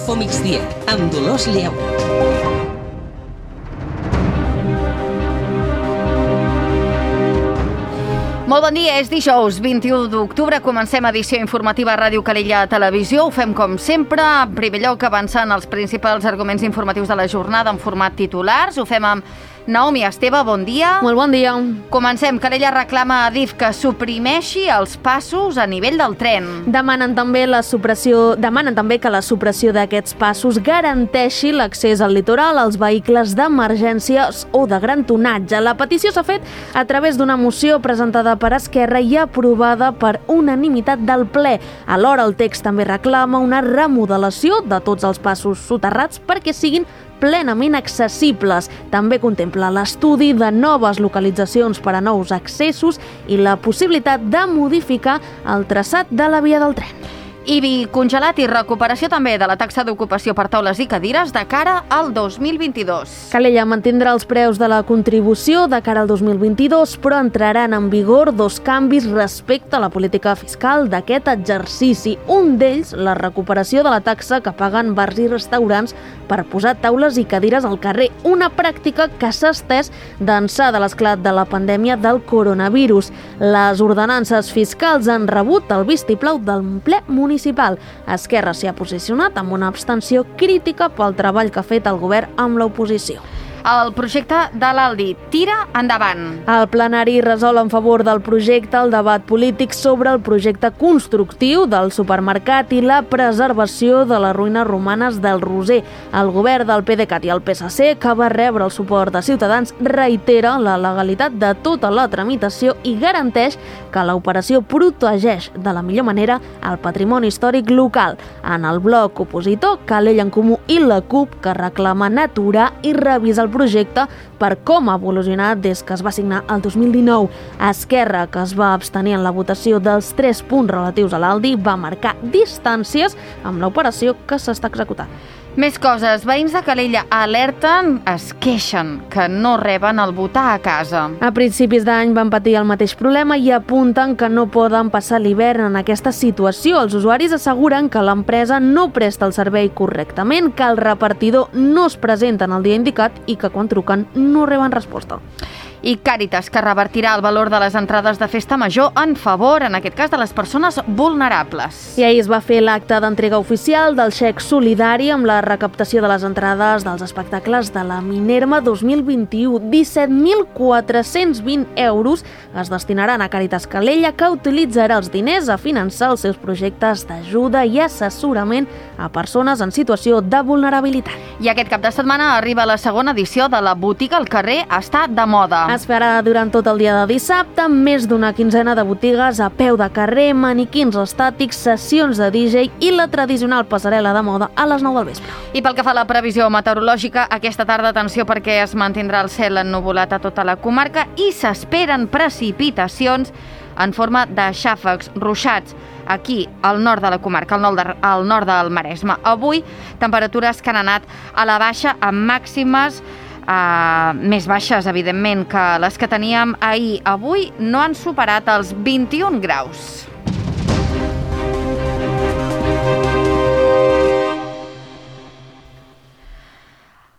Info Migdia, amb Dolors Lleu. Molt bon dia, és dijous 21 d'octubre, comencem edició informativa a Ràdio Calella Televisió. Ho fem com sempre, en primer lloc avançant els principals arguments informatius de la jornada en format titulars. Ho fem amb Naomi Esteve, bon dia. Molt bon dia. Comencem. Calella reclama a Adif que suprimeixi els passos a nivell del tren. Demanen també que la supressió d'aquests passos garanteixi l'accés al litoral als vehicles d'emergències o de gran tonatge. La petició s'ha fet a través d'una moció presentada per Esquerra i aprovada per unanimitat del ple. Alhora, el text també reclama una remodelació de tots els passos soterrats perquè siguin plenament accessibles. També contempla l'estudi de noves localitzacions per a nous accessos i la possibilitat de modificar el traçat de la via del tren. IBI congelat i recuperació també de la taxa d'ocupació per taules i cadires de cara al 2022. Calella mantindrà els preus de la contribució de cara al 2022, però entraran en vigor dos canvis respecte a la política fiscal d'aquest exercici. Un d'ells, la recuperació de la taxa que paguen bars i restaurants per posar taules i cadires al carrer, una pràctica que s'ha estès d'ençà de l'esclat de la pandèmia del coronavirus. Les ordenances fiscals han rebut el vistiplau del ple municipal. Esquerra s'hi ha posicionat amb una abstenció crítica pel treball que ha fet el govern amb l'oposició. El projecte de l'Aldi tira endavant. El plenari resol en favor del projecte el debat polític sobre el projecte constructiu del supermercat i la preservació de les ruïnes romanes del Roser. El govern del PDeCAT i el PSC, que va rebre el suport de Ciutadans, reitera la legalitat de tota la tramitació i garanteix que l'operació protegeix de la millor manera el patrimoni històric local. En el bloc opositor, Calella en Comú i la CUP, que reclamen aturar i revisar el projecte per com ha evolucionat des que es va signar el 2019. Esquerra, que es va abstenir en la votació dels 3 punts relatius a l'Aldi, va marcar distàncies amb l'operació que s'està executant. Més coses. Veïns de Calella alerten, es queixen que no reben el votar a casa. A principis d'any van patir el mateix problema i apunten que no poden passar l'hivern en aquesta situació. Els usuaris asseguren que l'empresa no presta el servei correctament, que el repartidor no es presenta en el dia indicat i que quan truquen no reben resposta. I Càritas, que revertirà el valor de les entrades de festa major en favor, en aquest cas, de les persones vulnerables. I ahir es va fer l'acte d'entrega oficial del xec solidari amb la recaptació de les entrades dels espectacles de la Minerva 2021. 17.420 euros es destinaran a Càritas Calella, que utilitzarà els diners a finançar els seus projectes d'ajuda i assessorament a persones en situació de vulnerabilitat. I aquest cap de setmana arriba la segona edició de la botiga al carrer Està de Moda. Es farà durant tot el dia de dissabte, més d'una quinzena de botigues a peu de carrer, maniquins estàtics, sessions de DJ i la tradicional passarel·la de moda a les 9 del vespre. I pel que fa a la previsió meteorològica, aquesta tarda atenció perquè es mantindrà el cel ennuvolat a tota la comarca i s'esperen precipitacions en forma de xàfecs, ruixats, aquí, al nord de la comarca, al nord del Maresme. Avui, temperatures que han anat a la baixa amb màximes més baixes, evidentment, que les que teníem ahir. Avui no han superat els 21 graus.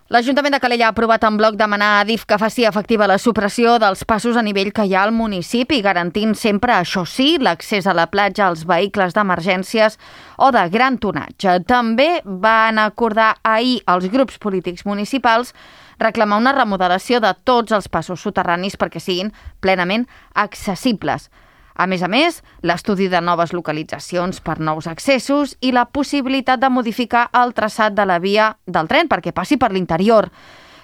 L'Ajuntament de Calella ha aprovat en bloc demanar a Adif que faci efectiva la supressió dels passos a nivell que hi ha al municipi, garantint sempre, això sí, l'accés a la platja als vehicles d'emergències o de gran tonatge. També van acordar ahir els grups polítics municipals reclamar una remodelació de tots els passos soterranis perquè siguin plenament accessibles. A més, l'estudi de noves localitzacions per nous accessos i la possibilitat de modificar el traçat de la via del tren perquè passi per l'interior.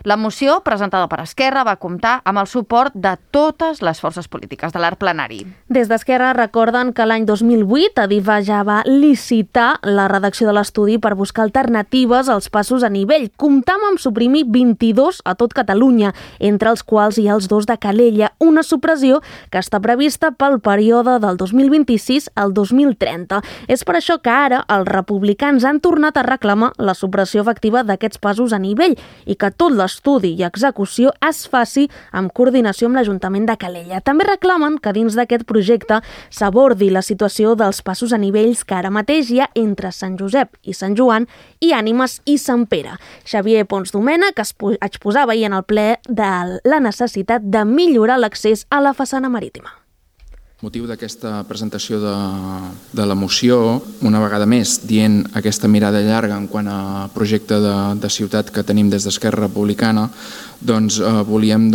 La moció, presentada per Esquerra, va comptar amb el suport de totes les forces polítiques de l'arc plenari. Des d'Esquerra recorden que l'any 2008 Adif ja va licitar la redacció de l'estudi per buscar alternatives als passos a nivell. Comptam amb suprimir 22 a tot Catalunya, entre els quals hi ha els 2 de Calella, una supressió que està prevista pel període del 2026 al 2030. És per això que ara els republicans han tornat a reclamar la supressió efectiva d'aquests passos a nivell i que tot l'estudi i execució es faci amb coordinació amb l'Ajuntament de Calella. També reclamen que dins d'aquest projecte s'abordi la situació dels passos a nivells que ara mateix hi ha entre Sant Josep i Sant Joan i Ànimes i Sant Pere. Xavier Pons Domènech exposava ahir en el ple de la necessitat de millorar l'accés a la façana marítima. Motiu d'aquesta presentació de la moció, una vegada més dient aquesta mirada llarga en quant a projecte de ciutat que tenim des d'Esquerra Republicana, volíem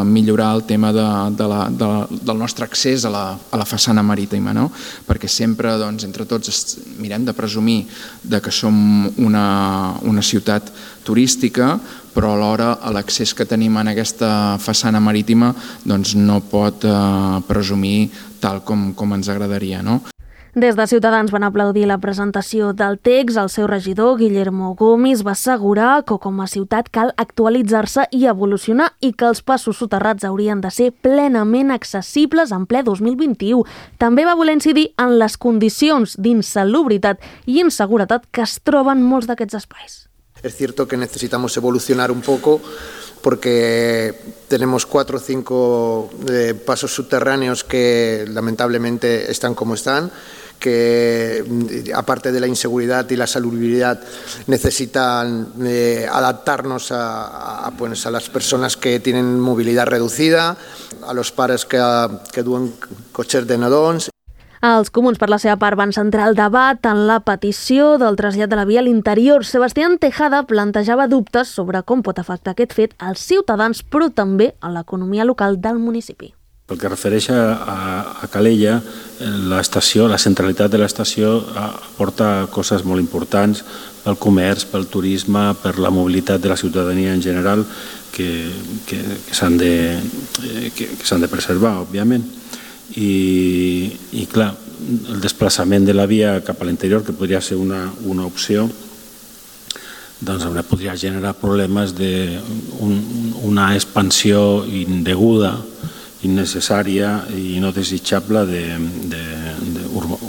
millorar el tema del nostre accés a la façana marítima, no? Perquè sempre entre tots mirem de presumir que som una ciutat turística, però alhora l'accés que tenim en aquesta façana marítima no pot presumir tal com ens agradaria, no? Des de Ciutadans van aplaudir la presentació del text. El seu regidor, Guillermo Gomis, va assegurar que com a ciutat cal actualitzar-se i evolucionar i que els passos soterrats haurien de ser plenament accessibles en ple 2021. També va voler incidir en les condicions d'insalubritat i inseguretat que es troben molts d'aquests espais. Es cierto que necesitamos evolucionar un poco porque tenemos 4 o 5 pasos subterráneos que lamentablemente están como están, que aparte de la inseguridad y la salubridad necesitan adaptarnos a las personas que tienen movilidad reducida, a los pares que duen cotxes de nadons. Els comuns, per la seva part, van centrar el debat en la petició del trasllat de la via a l'interior. Sebastián Tejada plantejava dubtes sobre com pot afectar aquest fet als ciutadans, però també a l'economia local del municipi. Pel que refereix a Calella, la centralitat de l'estació aporta coses molt importants pel comerç, pel turisme, per la mobilitat de la ciutadania en general, que s'han de preservar, òbviament. I clar, el desplaçament de la via cap a l'interior, que podria ser una opció, podria generar problemes d'una expansió indeguda, innecessària i no desitjable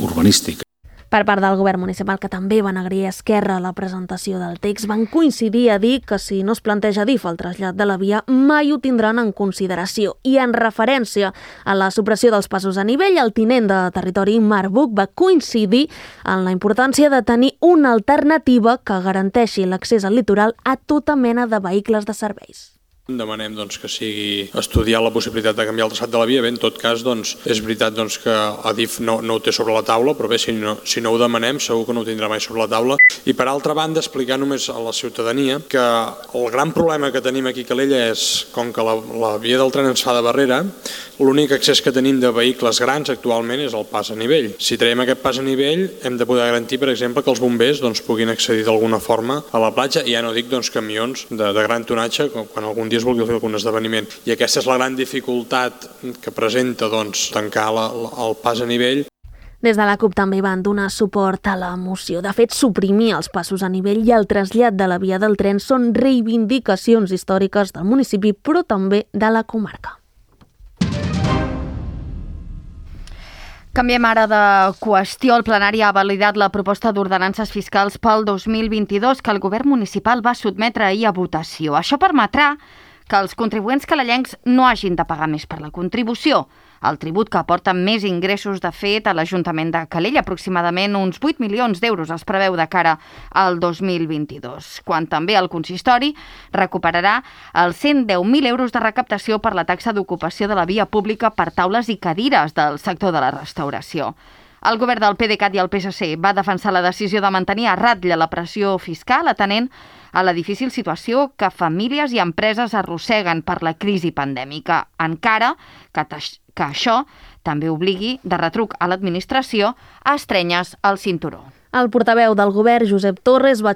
urbanística. Per part del govern municipal, que també van agrair a Esquerra la presentació del text, van coincidir a dir que si no es planteja DIF el trasllat de la via, mai ho tindran en consideració. I en referència a la supressió dels passos a nivell, el tinent de territori Marc Buch va coincidir en la importància de tenir una alternativa que garanteixi l'accés al litoral a tota mena de vehicles de serveis. Demanem que sigui estudiar la possibilitat de canviar el traçat de la via. Bé, en tot cas, és veritat que Adif no ho té sobre la taula, però bé, si no ho demanem, segur que no ho tindrà mai sobre la taula. I per altra banda, explicar només a la ciutadania que el gran problema que tenim aquí a Calella és, com que la via del tren ens fa de barrera, l'únic accés que tenim de vehicles grans actualment és el pas a nivell. Si traiem aquest pas a nivell, hem de poder garantir, per exemple, que els bombers puguin accedir d'alguna forma a la platja, i ja no dic camions de gran tonatge, quan algun dia es vulgui fer algun esdeveniment. I aquesta és la gran dificultat que presenta tancar el pas a nivell. Des de la CUP també van donar suport a la moció. De fet, suprimir els passos a nivell i el trasllat de la via del tren són reivindicacions històriques del municipi, però també de la comarca. Canviem ara de qüestió. El plenari ha validat la proposta d'ordenances fiscals pel 2022 que el govern municipal va sotmetre ahir a votació. Això permetrà que els contribuents calellencs no hagin de pagar més per la contribució. El tribut que aporta més ingressos, de fet, a l'Ajuntament de Calella, aproximadament uns 8 milions d'euros es preveu de cara al 2022, quan també el consistori recuperarà els 110.000 euros de recaptació per la taxa d'ocupació de la via pública per taules i cadires del sector de la restauració. El govern del PDeCAT i el PSC va defensar la decisió de mantenir a ratlla la pressió fiscal, atenent a la difícil situació que famílies i empreses arrosseguen per la crisi pandèmica, encara que això també obligui de retruc a l'administració a estrenyes el cinturó. El portaveu del govern, Josep Torres, va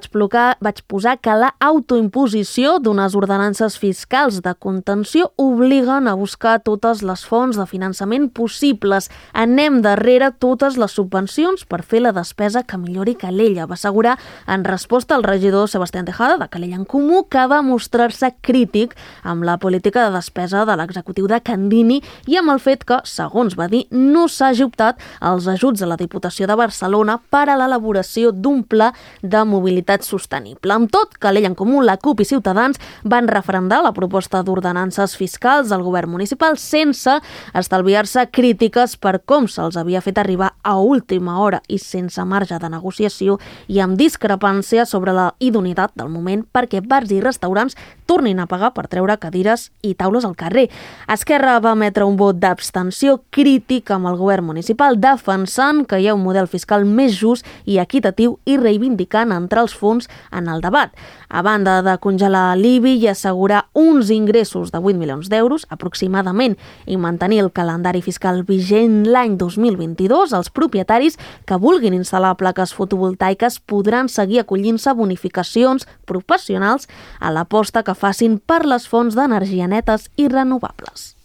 posar que la autoimposició d'unes ordenances fiscals de contenció obliguen a buscar totes les fonts de finançament possibles. Anem darrere totes les subvencions per fer la despesa que millori Calella, va assegurar en resposta al regidor Sebastián Tejada, de Calella en Comú, que va mostrar-se crític amb la política de despesa de l'executiu de Candini i amb el fet que, segons va dir, no s'hagi optat als ajuts de la Diputació de Barcelona per a l'elaboració l'elaboració d'un pla de mobilitat sostenible. Amb tot, Calella en Comú, la CUP i Ciutadans van referendar la proposta d'ordenances fiscals del govern municipal sense estalviar-se crítiques per com se'ls havia fet arribar a última hora i sense marge de negociació i amb discrepància sobre la idoneïtat del moment perquè bars i restaurants tornin a pagar per treure cadires i taules al carrer. Esquerra va emetre un vot d'abstenció crític amb el govern municipal, defensant que hi ha un model fiscal més just i equitatiu i reivindicant entrar els fons en el debat. A banda de congelar l'IBI i assegurar uns ingressos de 8 milions d'euros aproximadament i mantenir el calendari fiscal vigent l'any 2022, els propietaris que vulguin instal·lar plaques fotovoltaiques podran seguir acollint-se a bonificacions professionals a l'aposta que facin per les fonts d'energia netes i renovables.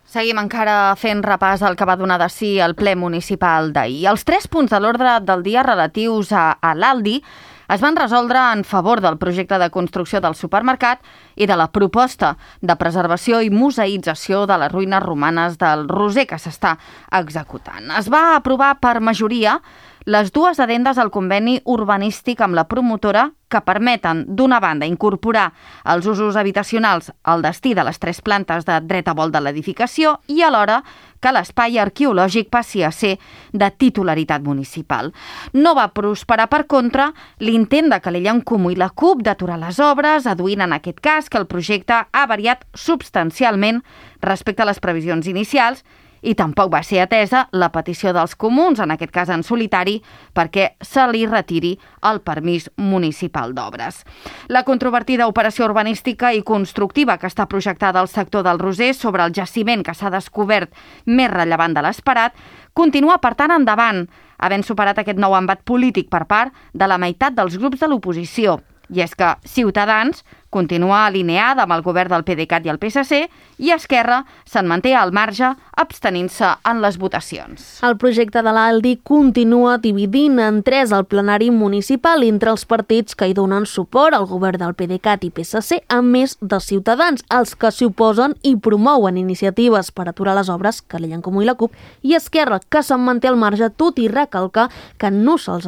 Seguim encara fent repàs al que va donar de si el ple municipal d'ahir. Els 3 punts de l'ordre del dia relatius a l'Aldi es van resoldre en favor del projecte de construcció del supermercat i de la proposta de preservació i museïtzació de les ruïnes romanes del Roser que s'està executant. Es va aprovar per majoria les 2 addendes al conveni urbanístic amb la promotora que permeten, d'una banda, incorporar els usos habitacionals al destí de les 3 plantes de dret a volt de l'edificació i alhora que l'espai arqueològic passi a ser de titularitat municipal. No va prosperar, per contra, l'intent de Calella en Comú i la CUP d'aturar les obres, adduint en aquest cas que el projecte ha variat substancialment respecte a les previsions inicials i tampoc va ser atesa la petició dels comuns, en aquest cas en solitari, perquè se li retiri el permís municipal d'obres. La controvertida operació urbanística i constructiva que està projectada al sector del Roser sobre el jaciment que s'ha descobert més rellevant de l'esperat continua, per tant, endavant, havent superat aquest nou embat polític per part de la meitat dels grups de l'oposició. I és que Ciutadans continua alineada amb el govern del PDeCAT i el PSC i Esquerra se'n manté al marge abstenint-se en les votacions. El projecte de l'Aldi continua dividint en 3 el plenari municipal entre els partits que hi donen suport al govern del PDeCAT i PSC, a més de Ciutadans, els que s'hi oposen i promouen iniciatives per aturar les obres, Calella en Comú i la CUP, i Esquerra, que se'n manté al marge, tot i recalcar que no se'ls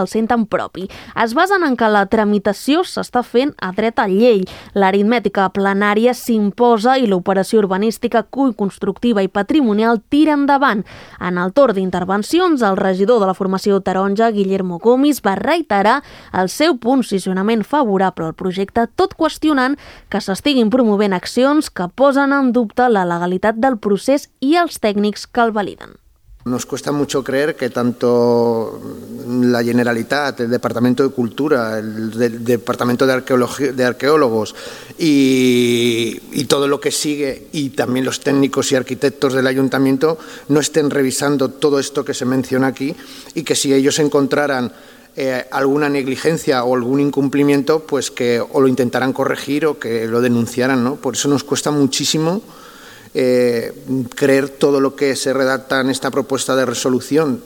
senten propi. Es basen en que la tramitació s'està fent a dret a llei. L'aritmètica plenària s'imposa i l'operació urbanística, constructiva i patrimonial tira endavant. En el torn d'intervencions, el regidor de la formació taronja, Guillermo Gomis, va reiterar el seu posicionament favorable al projecte, tot qüestionant que s'estiguin promovent accions que posen en dubte la legalitat del procés i els tècnics que el validen. Nos cuesta mucho creer que tanto la Generalitat, el Departamento de Cultura, el Departamento de Arqueólogos y todo lo que sigue, y también los técnicos y arquitectos del Ayuntamiento, no estén revisando todo esto que se menciona aquí, y que si ellos encontraran alguna negligencia o algún incumplimiento, pues que o lo intentaran corregir o que lo denunciaran, ¿no? Por eso nos cuesta muchísimo creer todo lo que se redacta en esta propuesta de resolución.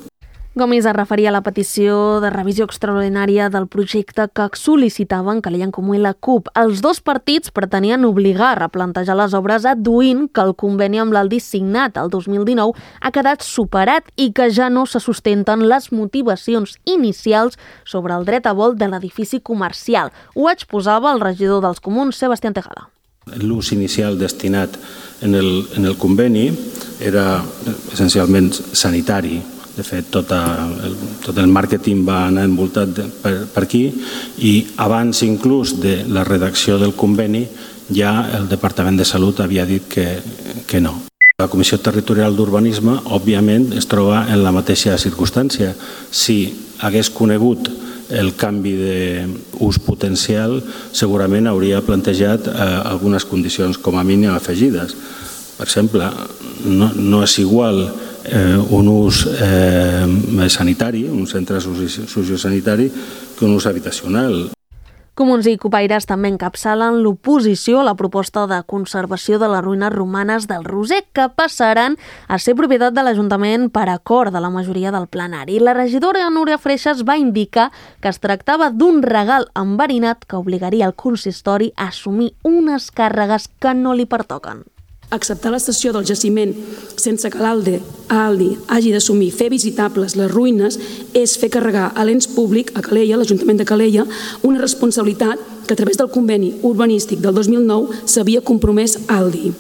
Gomis es referia a la petició de revisió extraordinària del projecte que sol·licitaven Calella en Comú i la CUP. Els 2 partits pretenien obligar a replantejar les obres adduint que el conveni amb l'Aldi signat el 2019 ha quedat superat i que ja no se sustenten les motivacions inicials sobre el dret a volt de l'edifici comercial. Ho exposava el regidor dels Comuns, Sebastián Tejada. L'ús inicial destinat en el conveni era essencialment sanitari. De fet, tot el màrqueting va anar envoltat per aquí i abans inclús de la redacció del conveni ja el Departament de Salut havia dit que no. La Comissió Territorial d'Urbanisme, òbviament, es troba en la mateixa circumstància. Si hagués conegut el canvi d'ús potencial, segurament hauria plantejat algunes condicions com a mínim afegides. Per exemple, no és igual un ús sanitari, un centre sociosanitari, que un ús habitacional. Comuns i Cupaires també encapçalen l'oposició a la proposta de conservació de les ruïnes romanes del Roser, que passaran a ser propietat de l'Ajuntament per acord de la majoria del plenari. La regidora Núria Freixas va indicar que es tractava d'un regal enverinat que obligaria el consistori a assumir unes càrregues que no li pertoquen. Acceptar la cessió del jaciment sense que l'Aldi hagi d'assumir fer visitables les ruïnes és fer carregar a l'ens públic, a Calella, l'Ajuntament de Calella, una responsabilitat que a través del conveni urbanístic del 2009 s'havia compromès Aldi.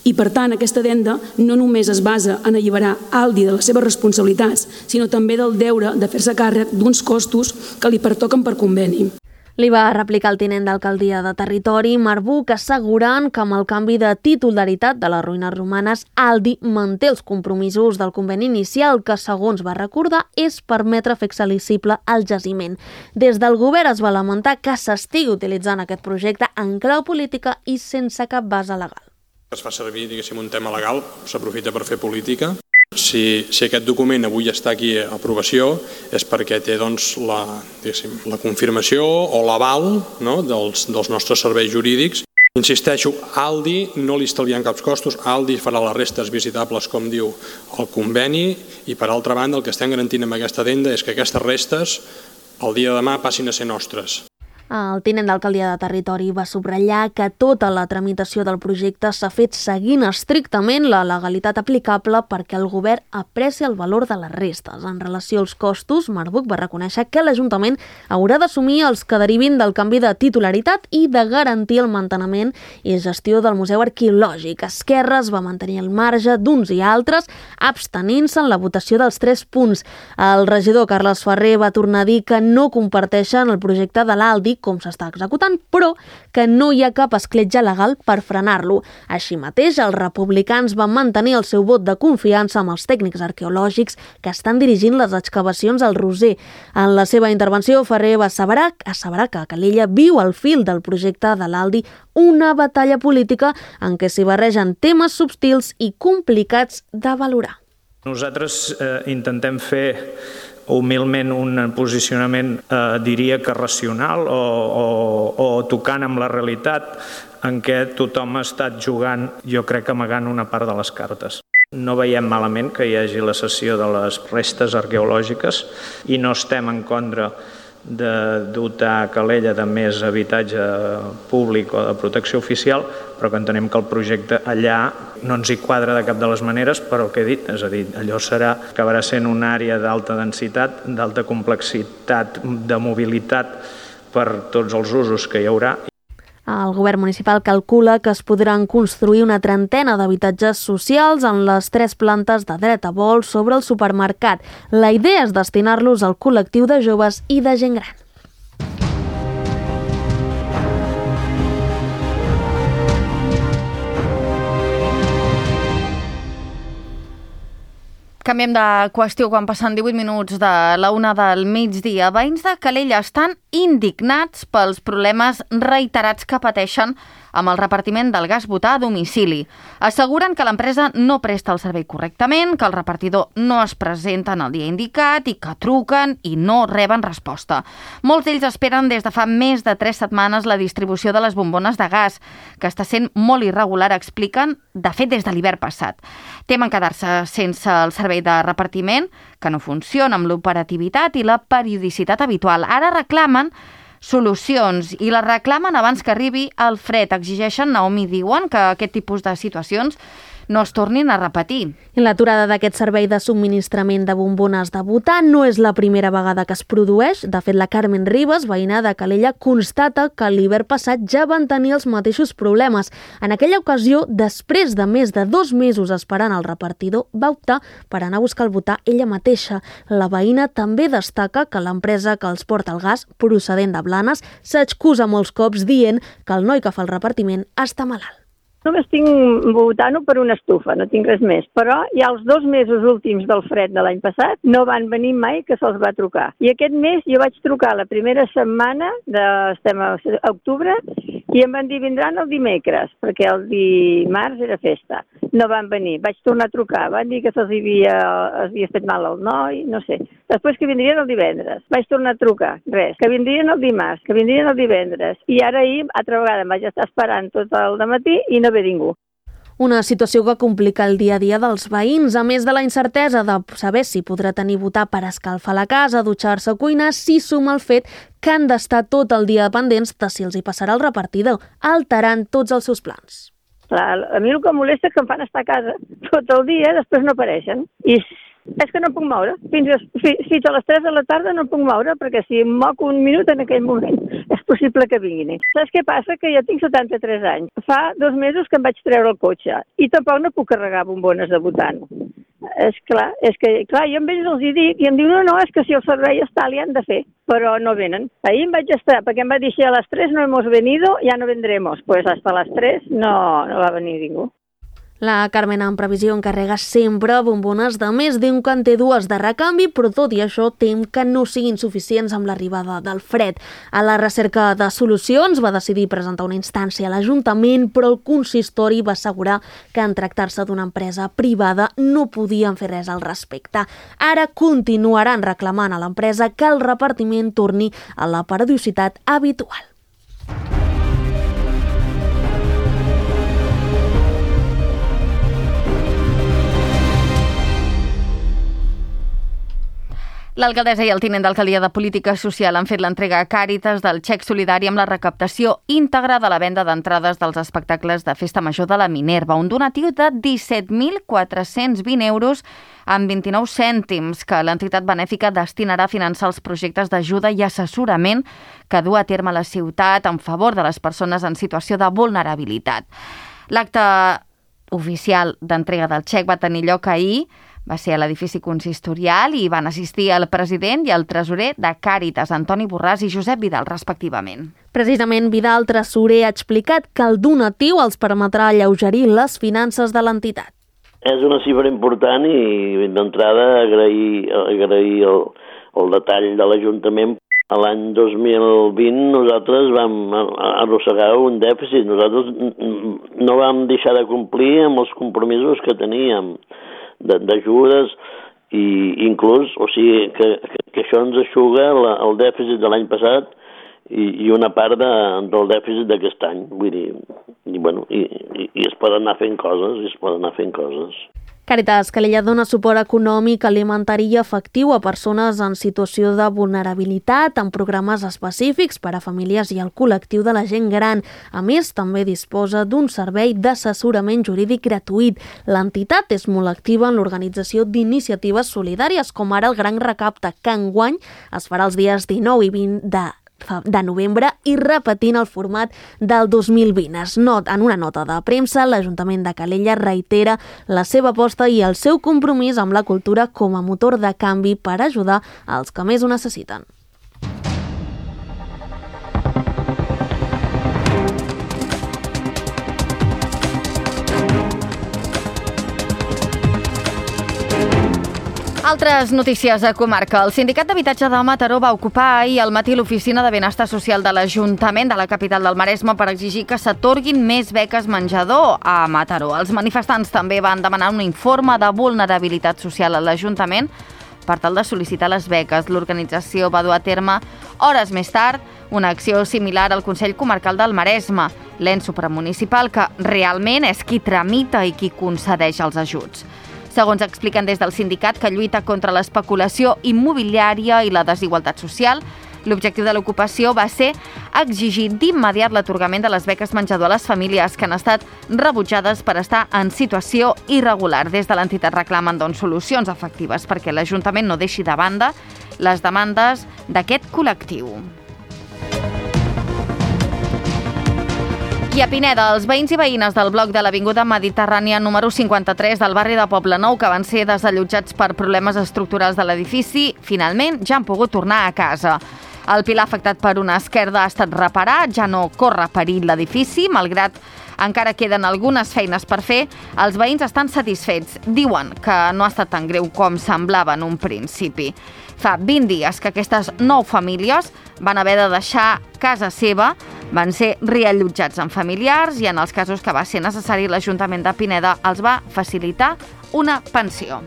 I, per tant, aquesta addenda no només es basa en alliberar Aldi de les seves responsabilitats, sinó també del deure de fer-se càrrec d'uns costos que li pertoquen per conveni. Li va replicar el tinent d'alcaldia de Territori, Marc Buch, assegurant que amb el canvi de titularitat de les ruïnes romanes, Aldi manté els compromisos del conveni inicial que, segons va recordar, és permetre fer accessible el jaciment. Des del govern es va lamentar que s'estigui utilitzant aquest projecte en clau política i sense cap base legal. Es fa servir, diguéssim, un tema legal, s'aprofita per fer política. Si aquest document avui està aquí a aprovació és perquè té la confirmació o l'aval dels nostres serveis jurídics. Insisteixo, Aldi no li estalvien cap costos, Aldi farà les restes visitables com diu el conveni i per altra banda el que estem garantint amb aquesta addenda és que aquestes restes el dia de demà passin a ser nostres. El tinent d'alcaldia de Territori va subratllar que tota la tramitació del projecte s'ha fet seguint estrictament la legalitat aplicable perquè el govern aprecia el valor de les restes. En relació als costos, Marc Buch va reconèixer que l'Ajuntament haurà d'assumir els que derivin del canvi de titularitat i de garantir el manteniment i gestió del Museu Arqueològic. Esquerra es va mantenir al marge d'uns i altres, abstenint-se en la votació dels 3 punts. El regidor Carles Ferrer va tornar a dir que no comparteixen el projecte de l'Aldi com s'està executant, però que no hi ha cap escletxa legal per frenar-lo. Així mateix, els republicans van mantenir el seu vot de confiança amb els tècnics arqueològics que estan dirigint les excavacions al Roser. En la seva intervenció, Ferrer va asseverar que Calella viu al fil del projecte de l'Aldi una batalla política en què s'hi barregen temes subtils i complicats de valorar. Nosaltres intentem fer humilment un posicionament, diria que racional o tocant amb la realitat en què tothom ha estat jugant, jo crec que amagant una part de les cartes. No veiem malament que hi hagi la cessió de les restes arqueològiques i no estem en contra de dotar Calella de més habitatge públic o de protecció oficial, però que entenem que el projecte allà no ens hi quadra de cap de les maneres, però el que he dit, és a dir, allò acabarà sent una àrea d'alta densitat, d'alta complexitat, de mobilitat per tots els usos que hi haurà. El govern municipal calcula que es podran construir una trentena d'habitatges socials en les 3 plantes de dret a vol sobre el supermercat. La idea és destinar-los al col·lectiu de joves i de gent gran. Canviem de qüestió quan passen 18 minuts de la 1 del migdia. Veïns de Calella estan indignats pels problemes reiterats que pateixen amb el repartiment del gas butà a domicili. Asseguren que l'empresa no presta el servei correctament, que el repartidor no es presenta en el dia indicat i que truquen i no reben resposta. Molts d'ells esperen des de fa més de 3 setmanes la distribució de les bombones de gas, que està sent molt irregular, expliquen, de fet des de l'hivern passat. Temen quedar-se sense el servei de repartiment, que no funciona amb l'operativitat i la periodicitat habitual. Ara reclamen solucions i les reclamen abans que arribi el fred. Exigeixen, Naomi, diuen que aquest tipus de situacions no es tornin a repetir. L'aturada d'aquest servei de subministrament de bombones de butà no és la primera vegada que es produeix. De fet, la Carmen Ribas, veïna de Calella, constata que l'hivern passat ja van tenir els mateixos problemes. En aquella ocasió, després de més de 2 mesos esperant el repartidor, va optar per anar a buscar el butà ella mateixa. La veïna també destaca que l'empresa que els porta el gas, procedent de Blanes, s'excusa molts cops dient que el noi que fa el repartiment està malalt. Només tinc butano per una estufa, no tinc res més. Però ja els 2 mesos últims del fred de l'any passat no van venir mai que se'ls va trucar. I aquest mes jo vaig trucar la primera setmana, estem a octubre, i em van dir vindran el dimecres, perquè el dimarts era festa. No van venir, vaig tornar a trucar, van dir que se'ls havia fet mal al noi, no sé. Després que vindrien el divendres, vaig tornar a trucar, res. Que vindrien el dimarts, que vindrien el divendres. I ara ahir, altra vegada, em vaig estar esperant tot el dematí i no ve ningú. Una situació que complica el dia a dia dels veïns, a més de la incertesa de saber si podrà tenir butà per escalfar la casa, dutxar-se o cuinar, s'hi suma el fet que han d'estar tot el dia pendents de si els hi passarà el repartidor, alterant tots els seus plans. Clar, a mi el que em molesta és que em fan estar a casa tot el dia, després no apareixen. I és que no em puc moure. Fins a les 3 de la tarda no em puc moure, perquè si em moc un minut en aquell moment és possible que vinguin. Saps què passa? Que jo tinc 73 anys. Fa 2 mesos que em vaig treure el cotxe i tampoc no puc carregar bombones de butano. És que jo amb ells els hi dic i em diuen no, és que si el servei està li han de fer, però no venen. Ahir em vaig estar, perquè em va dir si a les 3 no hemos venido, ya no vendremos. Pues hasta las 3 no va venir ningú. La Carmen, en previsió, encarrega sempre bombones de més, diu que en té 2 de recanvi, però tot i això tem que no siguin suficients amb l'arribada del fred. A la recerca de solucions va decidir presentar una instància a l'Ajuntament, però el consistori va assegurar que en tractar-se d'una empresa privada no podien fer res al respecte. Ara continuaran reclamant a l'empresa que el repartiment torni a la periodicitat habitual. L'alcaldessa i el tinent d'alcaldia de Política Social han fet l'entrega a Càritas del xec solidari amb la recaptació íntegra de la venda d'entrades dels espectacles de Festa Major de la Minerva, un donatiu de 17.420 euros amb 29 cèntims que l'entitat benèfica destinarà a finançar els projectes d'ajuda i assessorament que du a terme la ciutat en favor de les persones en situació de vulnerabilitat. L'acte oficial d'entrega del xec va tenir lloc ahir, va ser a l'edifici consistorial i van assistir el president i el tresorer de Càritas, Antoni Borràs i Josep Vidal, respectivament. Precisament Vidal, tresorer, ha explicat que el donatiu els permetrà alleugerir les finances de l'entitat. És una xifra important i d'entrada agrair el detall de l'Ajuntament. A l'any 2020 nosaltres vam arrossegar un dèficit. Nosaltres no vam deixar de complir amb els compromisos que teníem d'ajudes i inclús, o sigui, que això ens eixuga el dèficit de l'any passat i una part del dèficit d'aquest any. Vull dir, i es poden anar fent coses, Càritas Calella dona suport econòmic, alimentari i afectiu a persones en situació de vulnerabilitat amb programes específics per a famílies i al col·lectiu de la gent gran. A més, també disposa d'un servei d'assessorament jurídic gratuït. L'entitat és molt activa en l'organització d'iniciatives solidàries, com ara el Gran Recapte, que enguany es farà els dies 19 i 20 de novembre i repetint el format del 2020. En una nota de premsa, l'Ajuntament de Calella reitera la seva aposta i el seu compromís amb la cultura com a motor de canvi per ajudar als que més ho necessiten. Altres notícies a comarca. El Sindicat d'Habitatge de Mataró va ocupar ahir al matí l'oficina de benestar social de l'Ajuntament de la capital del Maresme per exigir que s'atorguin més beques menjador a Mataró. Els manifestants també van demanar un informe de vulnerabilitat social a l'Ajuntament per tal de sol·licitar les beques. L'organització va dur a terme hores més tard una acció similar al Consell Comarcal del Maresme, l'ens supramunicipal que realment és qui tramita i qui concedeix els ajuts. Segons expliquen des del sindicat que lluita contra l'especulació immobiliària i la desigualtat social, l'objectiu de l'ocupació va ser exigir d'immediat l'atorgament de les beques menjador a les famílies que han estat rebutjades per estar en situació irregular. Des de l'entitat reclamen solucions efectives perquè l'Ajuntament no deixi de banda les demandes d'aquest col·lectiu. I a Pineda, els veïns i veïnes del bloc de l'Avinguda Mediterrània número 53 del barri de Poblenou, que van ser desallotjats per problemes estructurals de l'edifici, finalment ja han pogut tornar a casa. El pilar afectat per una esquerda ha estat reparat, ja no corre perill l'edifici, malgrat encara queden algunes feines per fer. Els veïns estan satisfets. Diuen que no ha estat tan greu com semblava en un principi. Fa 20 dies que aquestes 9 famílies van haver de deixar casa seva, van ser reallotjats amb familiars i en els casos que va ser necessari l'Ajuntament de Pineda els va facilitar una pensió.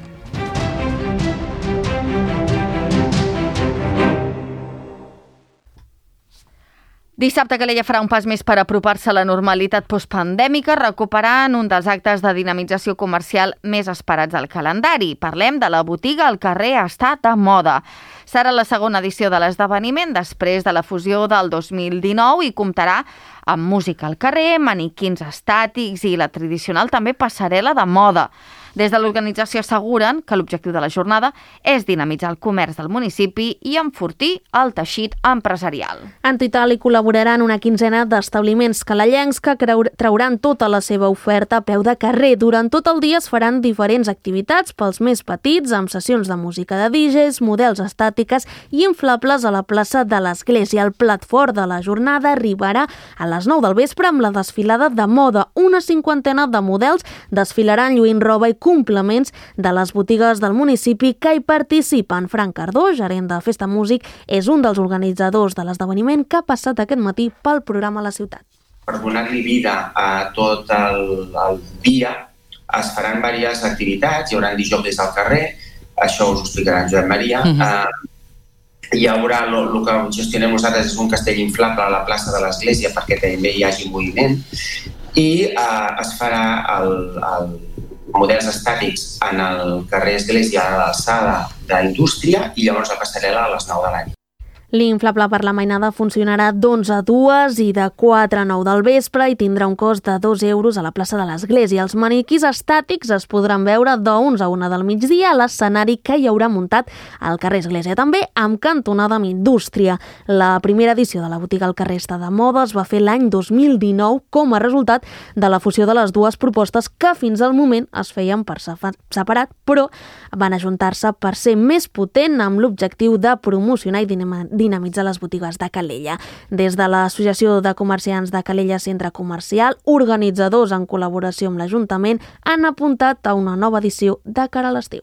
Dissabte Calella farà un pas més per apropar-se a la normalitat postpandèmica, recuperant un dels actes de dinamització comercial més esperats al calendari. Parlem de la botiga al carrer Està de Moda. Serà la segona edició de l'esdeveniment després de la fusió del 2019 i comptarà amb música al carrer, maniquins estàtics i la tradicional també passarel·la de moda. Des de l'organització asseguren que l'objectiu de la jornada és dinamitzar el comerç del municipi i enfortir el teixit empresarial. En total hi col·laboraran una quinzena d'establiments calellencs que trauran tota la seva oferta a peu de carrer. Durant tot el dia es faran diferents activitats pels més petits, amb sessions de música de DJs, models estàtiques i inflables a la plaça de l'Església. El plat fort de la jornada arribarà a les 9 del vespre amb la desfilada de moda. Una cinquantena de models desfilaran lluint roba i complements de les botigues del municipi que hi participen. Frank Cardó, gerent de Festa Músic, és un dels organitzadors de l'esdeveniment que ha passat aquest matí pel programa a la ciutat. Per donar-li vida a tot el dia es faran diverses activitats, hi haurà disjòqueis al carrer, això us ho explicarà en Joan Maria. Hi haurà, el que gestionem nosaltres és un castell inflable a la plaça de l'Església perquè també hi hagi moviment i es farà models estàtics en el carrer Església a l'alçada d'Indústria i llavors la passarel·la a les 9 de la nit. L'inflable per la mainada funcionarà d'11 a 2 i de 4 a 9 del vespre i tindrà un cost de 2 euros a la plaça de l'Església. Els maniquís estàtics es podran veure d'11 a 1 del migdia a l'escenari que hi haurà muntat al carrer Església, també amb cantonada amb Indústria. La primera edició de la botiga al carrer Està de Moda es va fer l'any 2019 com a resultat de la fusió de les dues propostes que fins al moment es feien per separat, però van ajuntar-se per ser més potent amb l'objectiu de promocionar i dinamitzar les botigues de Calella. Des de l'Associació de Comerciants de Calella Centre Comercial, organitzadors en col·laboració amb l'Ajuntament han apuntat a una nova edició de cara a l'estiu.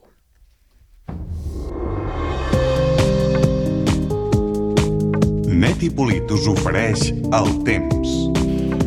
Net i Polit us ofereix el temps.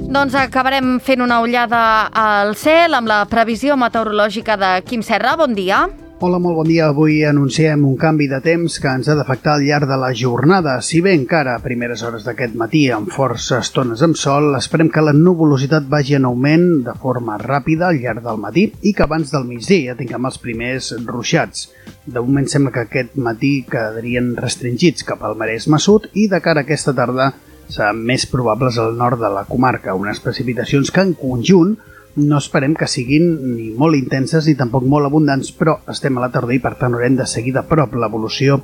Doncs acabarem fent una ullada al cel amb la previsió meteorològica de Quim Serra. Bon dia. Hola, molt bon dia. Avui anunciem un canvi de temps que ens ha d'afectar al llarg de la jornada. Si bé encara a primeres hores d'aquest matí, amb força estones amb sol, esperem que la nuvolositat vagi en augment de forma ràpida al llarg del matí i que abans del migdia ja tinguem els primers ruixats. De moment sembla que aquest matí quedarien restringits cap al Maresme Sud i de cara a aquesta tarda seran més probables al nord de la comarca. Unes precipitacions que en conjunt no esperem que siguin ni molt intenses ni tampoc molt abundants, però estem a la tardor i per tant haurem de seguir de prop l'evolució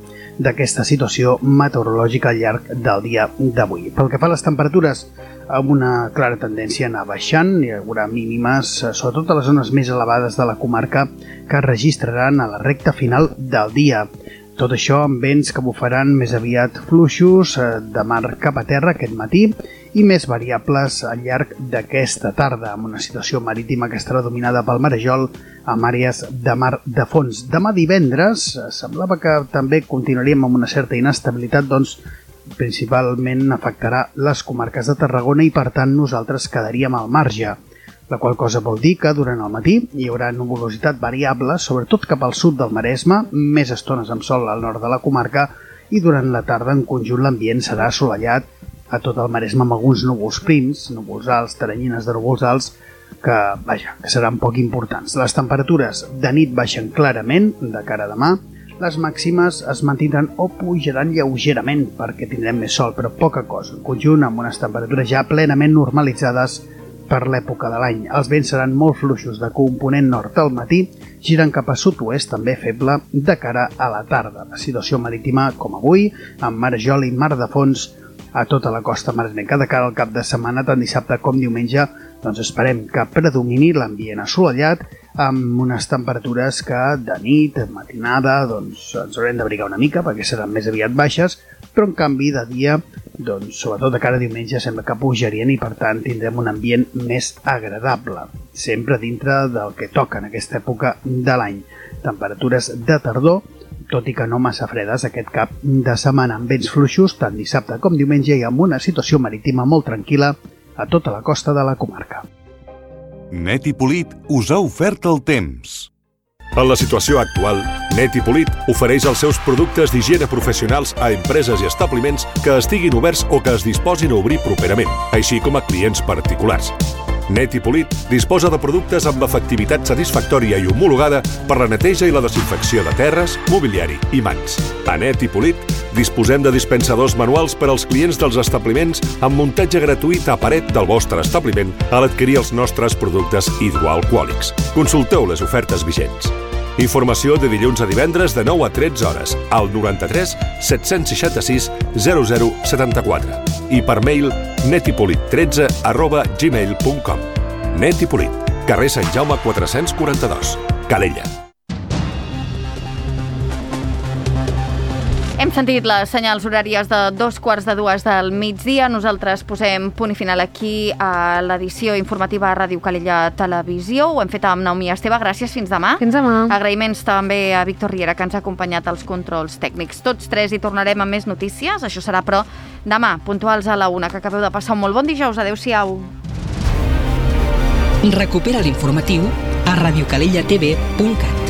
d'aquesta situació meteorològica al llarg del dia d'avui. Pel que fa a les temperatures, amb una clara tendència a anar baixant, hi haurà mínimes, sobretot a les zones més elevades de la comarca, que es registraran a la recta final del dia. Tot això amb vents que bufaran més aviat fluixos de mar cap a terra aquest matí i més variables al llarg d'aquesta tarda, amb una situació marítima que estarà dominada pel marejol amb àrees de mar de fons. Demà divendres semblava que també continuaríem amb una certa inestabilitat, doncs principalment afectarà les comarques de Tarragona i per tant nosaltres quedaríem al marge. La qual cosa vol dir que durant el matí hi haurà nuvolositat variable, sobretot cap al sud del Maresme, més estones amb sol al nord de la comarca i durant la tarda en conjunt l'ambient serà assolellat a tot el Maresme amb alguns núvols prims, núvols alts, teranyines de núvols alts, que seran poc importants. Les temperatures de nit baixen clarament de cara a demà, les màximes es mantindran o pujaran lleugerament perquè tindrem més sol, però poca cosa. En conjunt amb unes temperatures ja plenament normalitzades per l'època de l'any. Els vents seran molt fluixos de component nord al matí, giren cap a sud-oest, també feble, de cara a la tarda. La situació marítima, com avui, amb marejol i mar de fons a tota la costa maresmenca. De cara al cap de setmana, tant dissabte com diumenge, doncs esperem que predomini l'ambient assolellat amb unes temperatures que de nit, matinada, doncs ens haurem d'abrigar una mica perquè seran més aviat baixes, però en canvi de dia, doncs sobretot de cara a diumenge sembla que pujarien i per tant tindrem un ambient més agradable, sempre dintre del que toca en aquesta època de l'any. Temperatures de tardor, tot i que no massa fredes aquest cap de setmana amb vents fluixos tant dissabte com diumenge i amb una situació marítima molt tranquil·la a tota la costa de la comarca. Net i Polit us ha ofert el temps. En la situació actual, Net i Polit ofereix els seus productes d'higiene professionals a empreses i establiments que estiguin oberts o que es disposin a obrir properament, així com a clients particulars. Net i Polit disposa de productes amb efectivitat satisfactòria i homologada per la neteja i la desinfecció de terres, mobiliari i mans. A Net i Polit disposem de dispensadors manuals per als clients dels establiments amb muntatge gratuït a paret del vostre establiment a l'adquirir els nostres productes hidroalcohòlics. Consulteu les ofertes vigents. Informació de dilluns a divendres de 9 a 13 hores al 93 766 0074 i per mail netipolit13@gmail.com. Net i Polit, carrer Sant Jaume 442, Calella. Hem sentit les senyals horàries de 2:45 del migdia. Nosaltres posem punt i final aquí a l'edició informativa a Ràdio Calella Televisió. Ho hem fet amb Naomi Esteve. Gràcies, fins demà. Fins demà. Agraïments també a Víctor Riera, que ens ha acompanyat als controls tècnics. Tots tres hi tornarem amb més notícies. Això serà, però, demà, puntuals a la 1. Que acabeu de passar un molt bon dijous. Adéu-siau. Recupera l'informatiu a radiocalellatv.cat.